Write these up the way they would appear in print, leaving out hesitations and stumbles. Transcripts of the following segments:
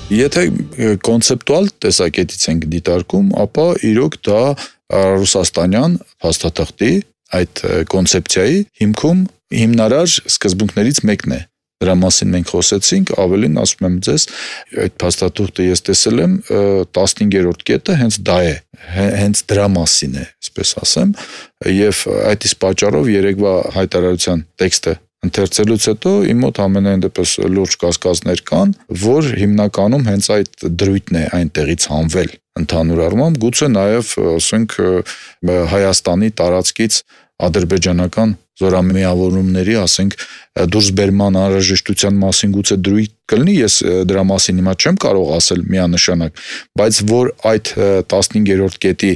Եթե կոնցեպտուալ տեսակետից ենք դիտարկում, ապա իրոք դա ռուսաստանյան փաստաթղթի այդ կոնցեպցիայի հիմքում հիմնարար սկզբունքներից մեկն է։ Դրա մասին մենք խոսեցինք, ավելին ասում եմ ձեզ, այդ փաստաթուղթը ես տեսել եմ, 15-րդ կետը հենց դա է, հենց դրա մասին է, այսպես ասեմ, եւ այդ իսկ պատճառով երեկվա հայտարարության տեքստը ընթերցելուց հետո իմ մոտ ամենայն դեպս լուրջ կասկածներ կան, որ հիմնականում հենց այդ դրույթն է այնտեղից հանվել ընդհանուր առմամբ, գուցե նաև, ասենք, Հայաստանի տարածքից ադրբեջանական զորամիավորումների, ասենք, դուրսբերման անհրաժեշտության մասին գուցե դրույթ կլինի, ես դրա մասին հիմա չեմ կարող ասել միանշանակ, բայց որ այդ 15-րդ կետի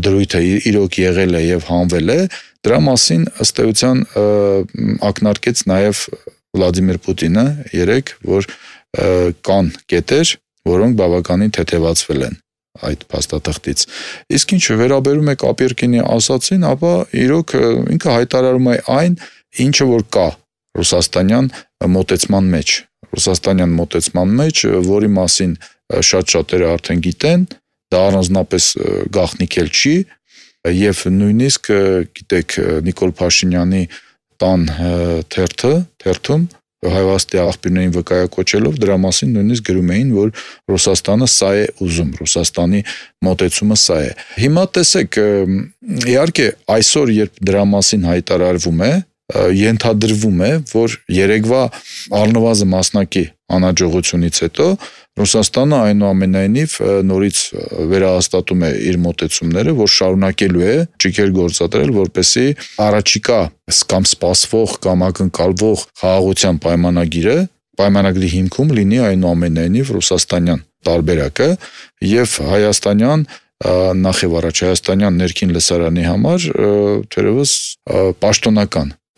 դրույթը իրոք եղել է եւ հանվել է, դրա մասին ըստ էության ակնարկեց նաև Վլադիմիր Պուտինը երեկ, որ կան կետեր, որոնք բավականին թեթևացվել են այդ փաստաթղթից։ Իսկ ինչ վերաբերում է Կապերկինի ասացին, ապա իրոք ինքը հայտարարում է այն, ինչը որ կա ռուսաստանյան մոտեցման մեջ։ Ռուսաստանյան մոտեցման մեջ, որի մասին շատ շատերը արդեն գիտեն, դա առանձնապես գաղտնիք էլ չի, եւ նույնիսկ գիտեք Նիկոլ Փաշինյանի տան թերթում հայվաստի աղբյուրներին վկայակոչելով դրա մասին նույնիսկ գրում էին, որ Ռուսաստանը սա է ուզում, Ռուսաստանի մոտեցումը սա է։ Հիմա տեսեք, իհարկե այսօր երբ դրա մասին հայտարարվում է, ենթադրվում է, որ երեկվա առնվազն մասնակի անհաջողությունից հետո Ռուսաստանը այնուամենայնիվ նորից վերահաստատում է իր մոտեցումները, որ շարունակելու է ճիգեր գործադրել, որպեսզի առաջիկա կամ սպասվող կամ ակնկալվող խաղաղության պայմանագրի հիմքում լինի այնուամենայնիվ ռուսաստանյան տարբերակը եւ հայաստանյան նախ եւ առաջ հայաստանյան ներքին լսարանի համար թերևս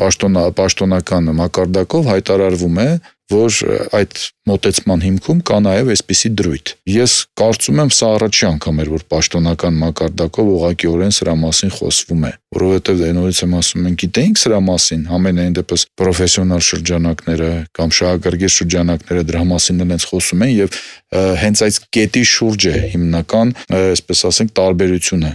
պաշտոնական մակարդակով հայտարարվում է, որ այդ մոտեցման հիմքում կա նաև այսպիսի դրույթ։ Ես կարծում եմ սա առաջի անգամ էր, որ պաշտոնական մակարդակով ուղղակիորեն սրա մասին խոսվում է, որովհետև նորից եմ ասում, մենք գիտեինք սրա մասին, ամենայն դեպս պրոֆեսիոնալ շրջանակները կամ շահագրգիռ շրջանակները դրա մասին նրանց խոսում են եւ հենց այդ կետի շուրջ է հիմնական, այսպես ասենք, տարբերությունը